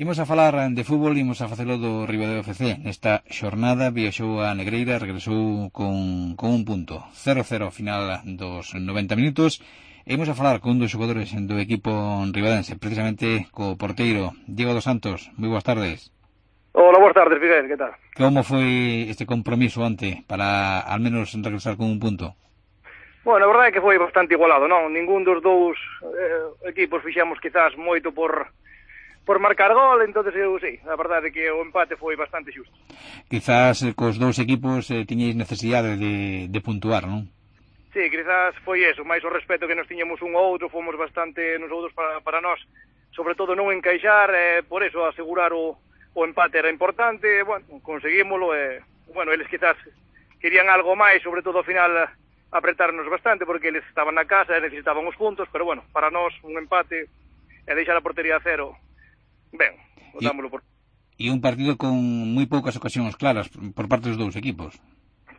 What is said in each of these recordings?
Imos a falar de fútbol, imos a facelo do Ribadeo FC. Nesta xornada viaxou a Negreira, regresou con un punto. 0-0 ao final dos 90 minutos. E imos a falar con un dos xogadores do equipo ribadense, precisamente co porteiro Diego dos Santos. Moi boas tardes. Hola, boas tardes, Miguel, que tal? Como foi este compromiso onte para al menos regresar con un punto? Bueno, a verdade é que foi bastante igualado, non? Ningún dos dous equipos fixemos quizás moito por marcar gol, entonces eu sí, a verdade é que o empate foi bastante xusto. Quizás cos dous equipos tiñeis necesidade de puntuar, non? Sí, quizás foi eso, máis o respeto que nos tiñamos un ou outro, fomos bastante nos outros para nós, sobre todo non encaixar, por eso asegurar o empate era importante, bueno, conseguímolo, bueno, eles quizás querían algo máis, sobre todo ao final apretarnos bastante, porque eles estaban na casa e necesitaban os puntos, pero bueno, para nós un empate e deixar a portería a cero, ben, botámoslo por... E un partido con moi poucas ocasións claras por parte dos dous equipos.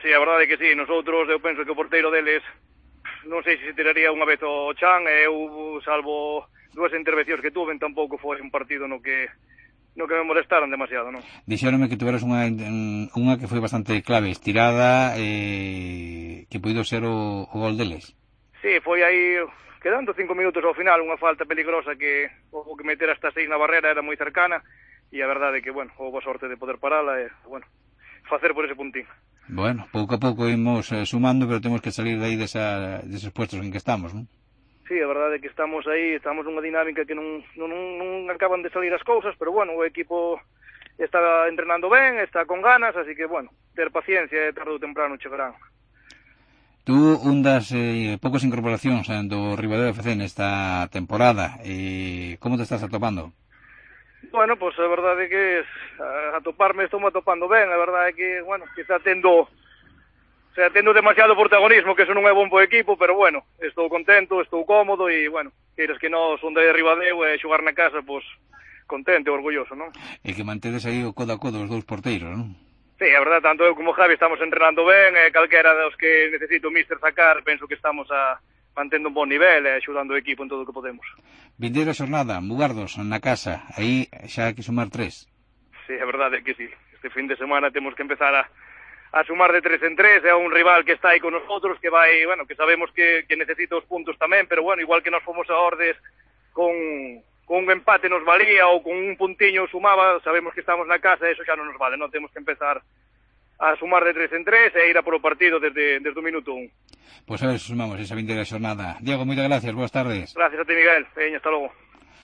Sí, a verdade é que sí, nosotros, eu penso que o porteiro deles, non sei se tiraría unha vez o chan, e eu, salvo dúas intervencións que tuven, tampouco foi un partido no que me molestaron demasiado, non? Dixéronme que tuveras unha que foi bastante clave, estirada, que puido ser o gol deles. Sí, foi aí, quedando 5 minutos ao final, unha falta peligrosa que o que meter hasta 6 na barrera era moi cercana, e a verdade é que, bueno, houve a sorte de poder parala e, bueno, facer por ese puntín. Bueno, pouco a pouco imos sumando, pero temos que salir de aí deses puestos en que estamos, non? Sí, a verdade é que estamos aí, estamos nunha dinámica que non acaban de salir as cousas, pero bueno, o equipo está entrenando ben, está con ganas, así que, bueno, ter paciencia e tarde ou temprano chegarán. Tú, un das poucas incorporacións do Ribadeo FC nesta temporada, como te estás atopando? Bueno, pois a verdade é que estou atopando ben, a verdade é que, bueno, quizá tendo demasiado protagonismo, que eso non é bom pro equipo, pero bueno, estou contento, estou cómodo e, bueno, queiras que non son de Ribadeo e xogar na casa, pois contento e orgulloso, non? E que mantedes aí o codo a codo os dous porteiros, non? Sí, a verdade, tanto eu como Javi estamos entrenando ben, e calquera dos que necesito o míster sacar, penso que estamos mantendo un bon nivel e axudando o equipo en todo o que podemos. Vindeira xornada, Mugardos na casa, aí xa hai que sumar 3. Sí, a verdade é que sí. Este fin de semana temos que empezar a sumar de 3 en 3, é un rival que está aí con nosotros, que vai, bueno, que sabemos que necesita os puntos tamén, pero bueno, igual que nos fomos a Ordes con un empate nos valía ou con un puntiño sumaba, sabemos que estamos na casa e eso xa non nos vale, non temos que empezar a sumar de 3 en 3 e ir a por o partido desde o minuto 1. Pois a ver se sumamos esa vindeira xornada. Diego, moitas gracias, boas tardes. Gracias a ti, Miguel. Veña, hasta logo.